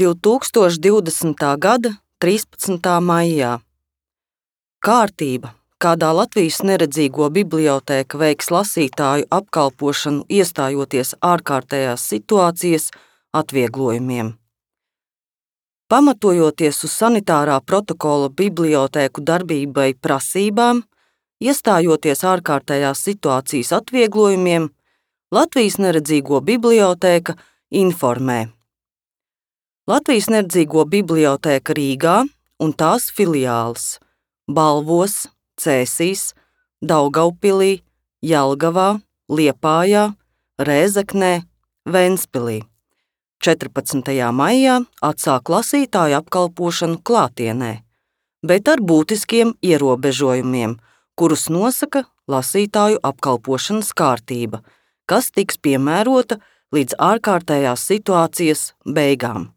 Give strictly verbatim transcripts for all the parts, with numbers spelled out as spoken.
divtūkstoš divdesmitā gada trīspadsmitā maijā. Kārtība, kādā Latvijas neredzīgo bibliotēka veiks lasītāju apkalpošanu, iestājoties ārkārtējās situācijas atvieglojumiem. Pamatojoties uz sanitārā protokola bibliotēku darbībai prasībām, iestājoties ārkārtējās situācijas atvieglojumiem, Latvijas neredzīgo bibliotēka informē. Latvijas neredzīgo bibliotēka Rīgā un tās filiāles Balvos, Cēsīs, Daugaupilī, Jelgavā, Liepājā, Rēzeknē, Ventspilī četrpadsmitajā maijā atsāk lasītāju apkalpošanu klātienē, bet ar būtiskiem ierobežojumiem, kurus nosaka lasītāju apkalpošanas kārtība, kas tiks piemērota līdz ārkārtējās situācijas beigām.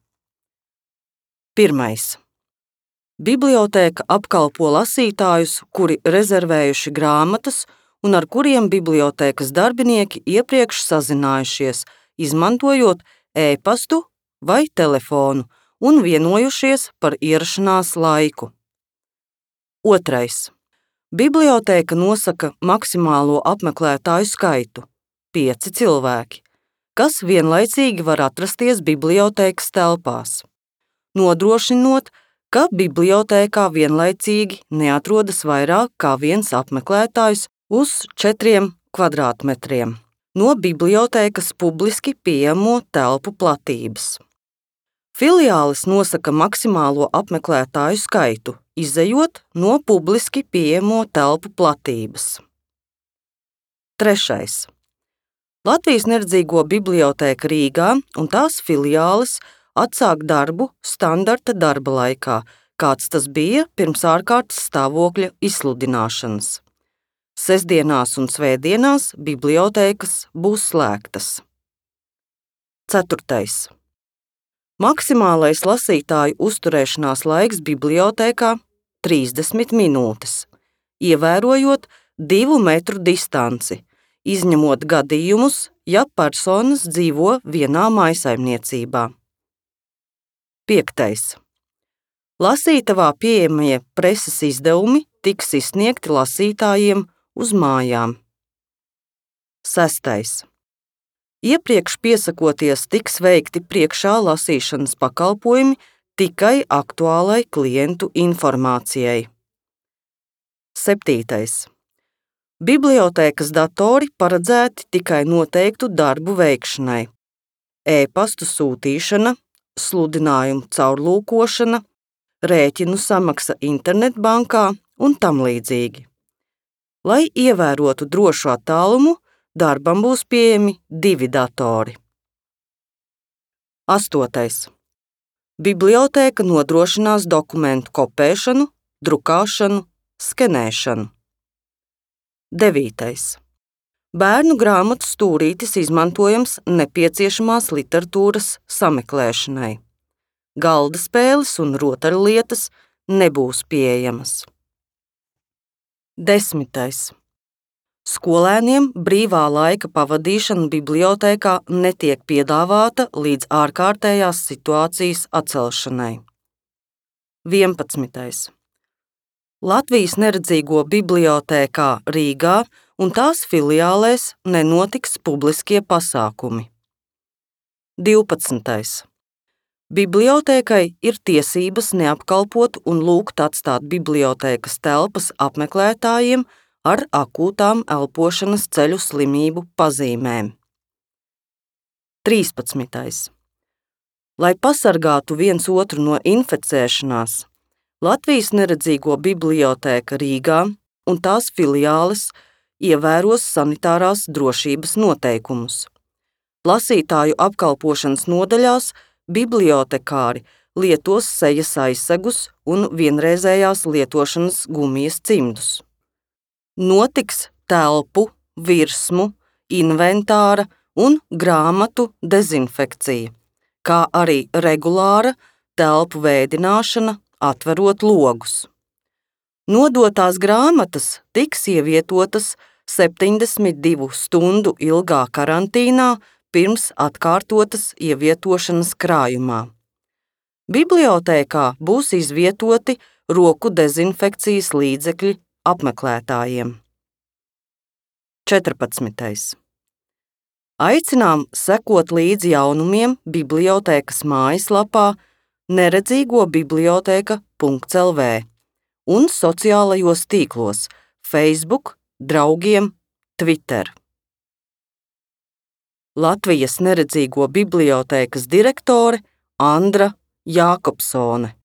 Pirmais. Bibliotēka apkalpo lasītājus, kuri rezervējuši grāmatas un ar kuriem bibliotēkas darbinieki iepriekš sazinājušies, izmantojot e-pastu vai telefonu un vienojušies par ierašanās laiku. Otrais. Bibliotēka nosaka maksimālo apmeklētāju skaitu – pieci cilvēki, kas vienlaicīgi var atrasties bibliotēkas telpās, nodrošinot, ka bibliotēkā vienlaicīgi neatrodas vairāk kā viens apmeklētājs uz četriem kvadrātmetriem no bibliotēkas publiski pieejamo telpu platības. Filiāles nosaka maksimālo apmeklētāju skaitu, izejot no publiski pieejamo telpu platības. Trešais. Latvijas neredzīgo bibliotēka Rīgā un tās filiāles atsāk darbu standarta darba laikā, kāds tas bija pirms ārkārtas stāvokļa izsludināšanas. Sestdienās un svētdienās bibliotēkas būs slēgtas. Ceturtais. Maksimālais lasītāju uzturēšanās laiks bibliotēkā – trīsdesmit minūtes, ievērojot divu metru distanci, izņemot gadījumus, ja personas dzīvo vienā mājsaimniecībā. Piektais. Lasītavā pieejamie preses izdevumi tiks izsniegti lasītājiem uz mājām. Sestais. Iepriekš piesakoties tiks veikti priekšā lasīšanas pakalpojumi tikai aktuālai klientu informācijai. Septītais. Bibliotēkas datori paredzēti tikai noteiktu darbu veikšanai. E-pastu sūtīšana, sludinājumu caurlūkošana, rēķinu samaksa internetbankā un tam līdzīgi. Lai ievērotu drošu attālumu, darbam būs pieejami divi datori. Astotais. Bibliotēka nodrošinās dokumentu kopēšanu, drukāšanu, skenēšanu. Devītais. Bērnu grāmatu stūrītis izmantojams nepieciešamās literatūras sameklēšanai. Galda spēles un rotaļlietas nebūs pieejamas. Desmitais. Skolēniem brīvā laika pavadīšana bibliotēkā netiek piedāvāta līdz ārkārtējās situācijas atcelšanai. Vienpadsmitais. Latvijas neredzīgo bibliotēkā Rīgā un tās filiālēs nenotiks publiskie pasākumi. Divpadsmitais. Bibliotēkai ir tiesības neapkalpot un lūgt atstāt bibliotēkas telpas apmeklētājiem ar akūtām elpošanas ceļu slimību pazīmēm. Trīspadsmitais. Lai pasargātu viens otru no inficēšanās, Latvijas neredzīgo bibliotēka Rīgā un tās filiāles ievēros sanitārās drošības noteikumus. Lasītāju apkalpošanas nodaļās bibliotekāri lietos sejas aizsegus un vienreizējās lietošanas gumijas cimdus. Notiks telpu, virsmu, inventāra un grāmatu dezinfekcija, kā arī regulāra telpu vēdināšana, atverot logus. Nodotās grāmatas tiks ievietotas septiņdesmit divu stundu ilgā karantīnā pirms atkārtotas ievietošanas krājumā. Bibliotēkā būs izvietoti roku dezinfekcijas līdzekļi apmeklētājiem. četrpadsmitais. Aicinām sekot līdzi jaunumiem bibliotēkas mājaslapā neredzīgo bibliotēka punkts el vē un sociālajos tīklos Facebook, draugiem, Twitter. Latvijas neredzīgo bibliotēkas direktore Andra Jākopsone.